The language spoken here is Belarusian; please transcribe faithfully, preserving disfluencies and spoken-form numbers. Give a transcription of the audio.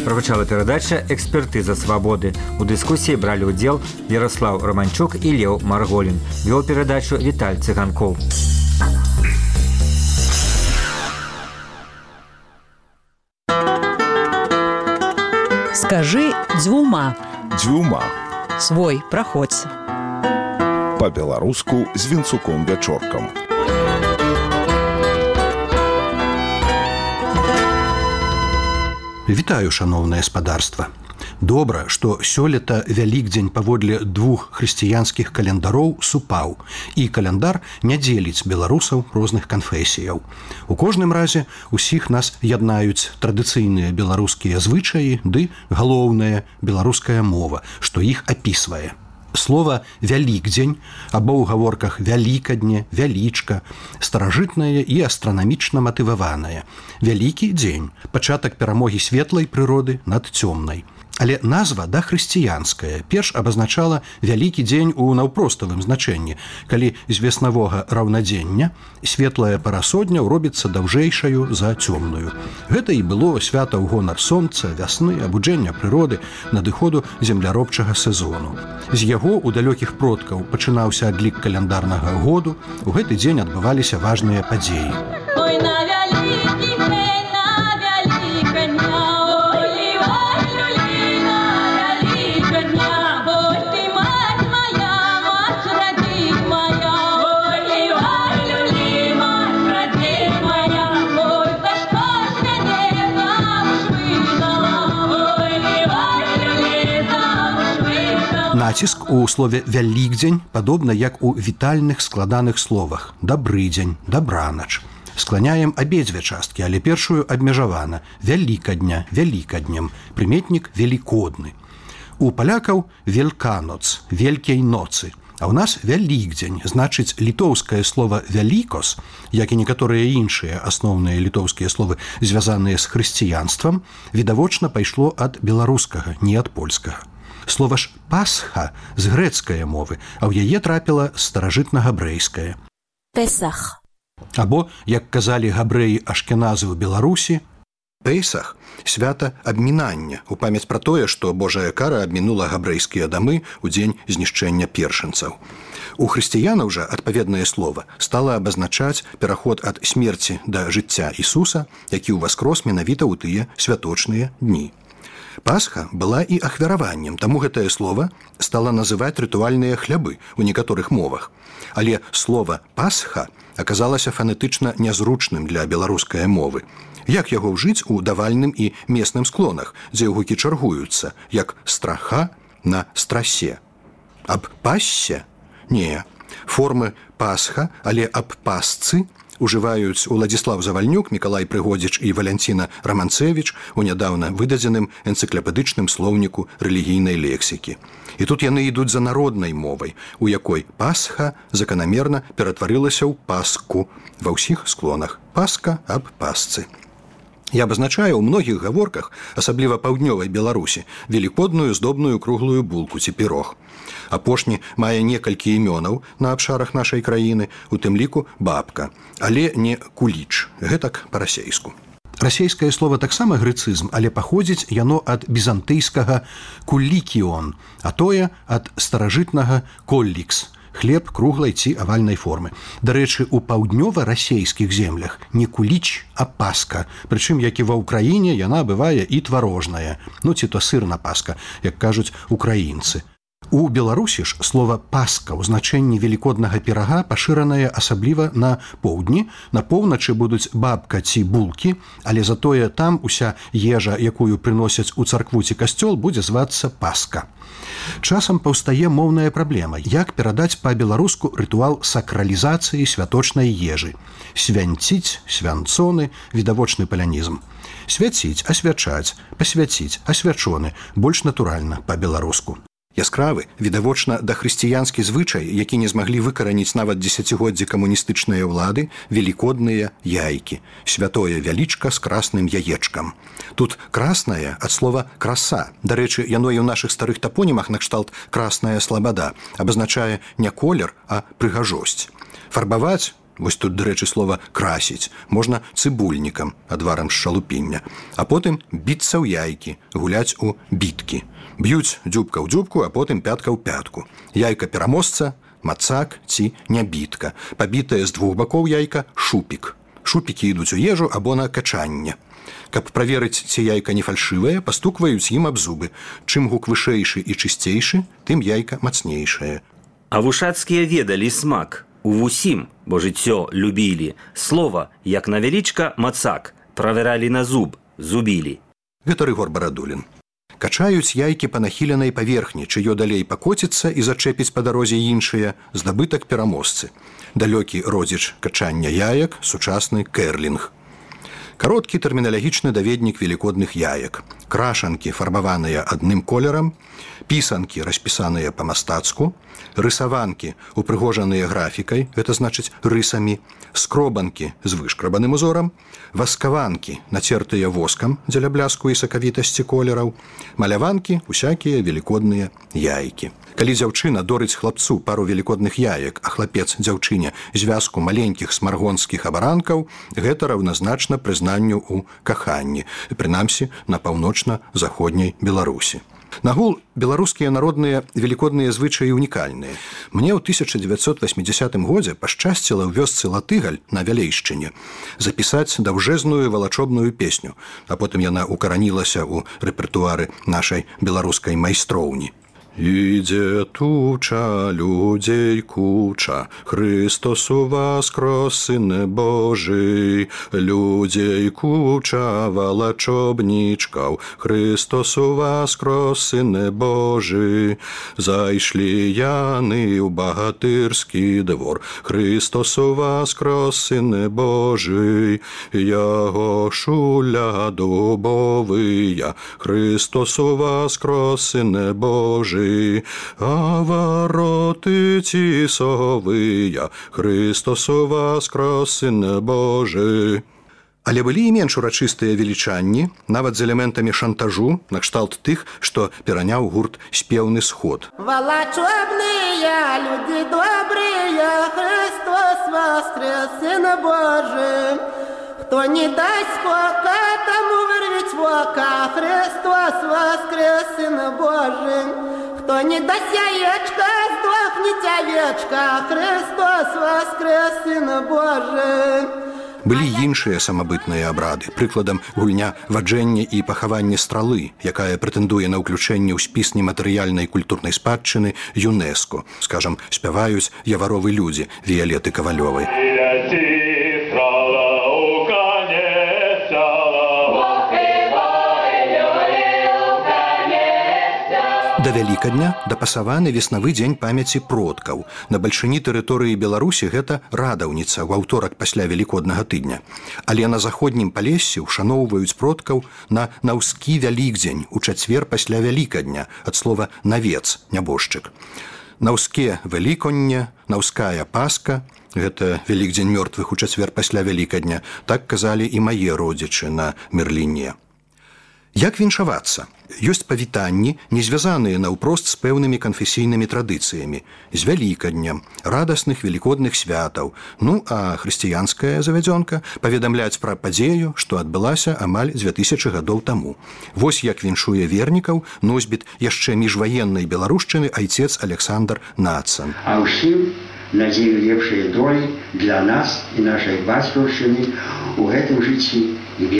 Прагучала перадача «Экспертыза свабоды». У дыскусіі бралі ўдзел Ярослав Романчук і Леў Марголін. Вёў перадачу Віталь Цыганкоў. Скажи дзвюма. Дзвюма. Свой, праходзь. Па-беларуску з Вінцуком-Вячоркам. Вітаю, шаноўнае спадарства. Добра, што сёлета Вялікдзень паводле двух хрысціянскіх календароў супаў, і календар не дзеліць беларусаў розных канфесіяў. У кожным разе усіх нас яднаюць традыцыйныя беларускія звычаі ды галоўная беларуская мова, што іх апісвае. Слова «вялікдзень» або ў гаворках «вялікадне», «вялічка» старажытнае і астранамічна матываванае. Вялікі дзень – пачатак перамогі светлай прыроды над цёмнай. Але назва дахрысціянская перш абазначала вялікі дзень у наўпроставым значэнні, калі з веснавога раўнадзення светлая парасодня робіцца даўжэйшаю за цёмную. Гэта і было свята ў гонар сонца, вясны, абуджэння прыроды, надыходу земляробчага сезону. З яго у далёкіх продкаў пачынаўся адлік каляндарнага году, у гэты дзень адбываліся важныя падзеі. Ой, на вялікі дзень, на вяліка дня, ой, ой, люліна, вяліка дня, ой, ты мать моя, мать радзі моя, ой, ой, люлі, мать радзі моя, ой, за што ж мяне замуж выдала, ой, ой, люлі, замуж выдала. Націск у слове «вялікдзень» падобна як у вітальных складаных словах «дабрыдзень», «дабранач». Скланяем абедзве часткі, але першую абмежавана «вялікадня», «вялікаднем», прыметнік «велікодны». У палякаў «вельканоц», «велькей ноцы», а ў нас «вялікдзень», значыць літоўскае слова «вялікос», як і некаторыя іншыя асноўныя літоўскія словы, звязаныя з хрысціянствам, відавочна пайшло ад беларускага, не ад польскага. Слова ж «пасха» з грэцкае мовы, а ў яе трапіла з старажытна-габрэйскае. Песах. Або, як казалі габрэі-ашкеназы ў Беларусі, Пейсах – свята абмінання, у памяць пра тое, што Божая кара абмінула габрэйскія дамы ў дзень знішчэння першынцаў. У хрысціянаў жа адпаведнае слова стала абазначаць пераход ад смерці да жыцця Ісуса, які ўваскрос менавіта ў тыя святочныя дні. Пасха была і ахвяраваннем, таму гэтае слова стала называць рытуальныя хлябы ў некаторых мовах. Але слова «пасха» аказалася фанетычна нязручным для беларускай мовы. Як яго ўжыць у давальным і месным склонах, дзе гукі чаргуюцца, як страха на страсе? Аб пассе? Не. Формы «пасха», але аб пасцы ужываюць Уладзіслаў Завальнюк, Мікалай Прыгодзіч і Валянціна Раманцэвіч у нядаўна выдадзеным энцыклапедычным слоўніку рэлігійнай лексікі. І тут яны ідуць за народнай мовай, у якой пасха заканамерна ператварылася ў паску ва ўсіх склонах. Паска аб пасцы. Я абазначаю ў многіх гаворках, асабліва паўднёвай Беларусі, велікодную здобную круглую булку ці пірог. Апошні мае некалькі імёнаў на абшарах нашай краіны, у тым ліку бабка, але не куліч, гэтак па-расейску. Расейскае слова таксама грэцызм, але паходзіць яно ад бізантыйскага «куллікіон», а тое ад старажытнага «коллікс», хлеб круглай ці авальнай формы. Дарэчы, у паўднёва-расейскіх землях не куліч, а паска, прычым як і ва ўкраіне яна бывае і тварожная, ну ці то сырна паска, як кажуць украінцы. У Беларусі ж слова «паска» ў значэнні велікоднага пірага пашыранае асабліва на поўдні, на поўначы будуць бабка ці булкі, але затое там уся ежа, якую прыносяць у царкву ці касцёл, будзе звацца паска. Часам паўстае моўная праблема, як перадаць па-беларуску рытуал сакралізацыі святочнай ежы. Свянціць, свянцоны, відавочны палянізм. Свяціць, асвячаць, пасвяціць, асвячоны, больш натуральна па-беларуску. Яскравы, відавочна дахрысціянскі звычай, які не змаглі выкараніць нават дзесяцігоддзі камуністычныя ўлады, велікодныя яйкі, святое вялічка з красным яечкам. Тут краснае ад слова краса. Дарэчы, яно і ў нашых старых тапонімах накшталт красная слабада абазначае не колер, а прыгажосць. Фарбаваць вось тут, дарэчы, слова красіць, можна цыбульнікам, адварам з шалупіння, а потым біцца ў яйкі, гуляць у біткі. Б'юць дзюбка ў дзюбку, а потым пятка ў пятку. Яйка пераможца, мацак ці нябітка. Пабітае з двух бакоў яйка шупік. Шупікі ідуць у ежу або на качанне. Каб праверыць, ці яйка не фальшывае, пастукваюць ім аб зубы. Чым гук вышэйшы і чысцейшы, тым яйка мацнейшае. А вушацкія ведалі смак. Увусім, бо жыццё любілі. Слова, як на вялічка, мацак. Правералі на зуб, зубілі. Гэта Рыгор Барадулін. Качаюць яйкі па нахіленай паверхні, чыё далей пакоціцца і зачэпіць па дарозе іншыя, здабытак пераможцы. Далёкі родзіч качання яек, сучасны кэрлінг. Кароткі тэрміналагічны даведнік велікодных яек. Крашанкі, фарбаваныя адным колерам, пісанкі, распісаныя па-мастацку, рысаванкі, упрыгожаныя графікай, гэта значыць рысамі, скробанкі з вышкрабаным узорам, васкаванкі, нацертыя воскам дзеля бляску і сакавітасці колераў, маляванкі, усякія велікодныя яйкі. Калі дзяўчына дорыць хлапцу пару велікодных яек, а хлапец дзяўчыне звязку маленькіх смаргонскіх абаранкаў, гэта раўназначна прызнанню ў каханні, прынамсі на паўночна-заходняй Беларусі. Нагул беларускія народныя велікодныя звычаі унікальныя. Мне ў тысяча дзевяцьсот васьмідзясятым годзе пашчасціла ў вёсцы Латыгаль на Вялейшчыне запісаць даўжэзную валачобную песню, а потым яна укаранілася ў рэпертуары нашай беларускай майстроўні. Іде туча, людзей куча, Христос воскрес, Сыне Божий, людзей куча, валачобнічкаў, Христос воскрес, Сыне Божий, зайшлі яны ў багатырскі двор, Христос воскрес, Сыне Божий, яго шуля дубовыя, Христос воскрес, Сыне Божий, а вороты тісовыя, Христос воскрес, Сыне Божий. Але былі і менш урачыстыя велічанні, нават з элементамі шантажу, накшталт тых, што пераняў гурт «Спеўны сход». Волочобные люди добрые, Христос воскрес, Сын Божий. Кто не даст скока, тому вырвать вока, Христос воскрес, Сын Божий. Кто не даст яечка, сдохнет овечка, Христос воскрес, Сын Божий. Былі іншыя самабытныя абрады, прыкладам гульня ваджэння і пахаванне стралы, якая прэтэндуе на ўключэнне ў спіс нематэрыяльнай культурнай спадчыны ЮНЕСКО. Скажам, спяваюць яваровы людзі Віялеты Кавалёвай. Да Вялікадня дапасаваны веснавы дзень памяці продкаў. На бальшыні тэрыторыі Беларусі гэта радаўніца ў аўторак пасля велікоднага тыдня. Але на заходнім Палессі ушаноўваюць продкаў на наўскі вялікдзень у чацвер пасля Вялікадня, ад слова навец, нябожчык. Наўске Веліконне, наўская Пасха, гэта Вялікдзень мёртвых у чацвер пасля Вялікадня, так казалі і мае родзічы на Мерліне. Як віншавацца? Ёсць павітанні, не звязаныя наўпрост з пэўнымі канфесійнымі традыцыямі, з Вялікаднем, радасных велікодных святаў, ну а хрысціянская завядзёнка паведамляць пра падзею, што адбылася амаль дзве тысячы гадоў таму. Вось як віншуе вернікаў носьбіт яшчэ міжваеннай беларушчыны айцец Александр Нацан. А ўсім надзею лепшай долі для нас і нашай бацькаўшчыны ў гэтым жыцці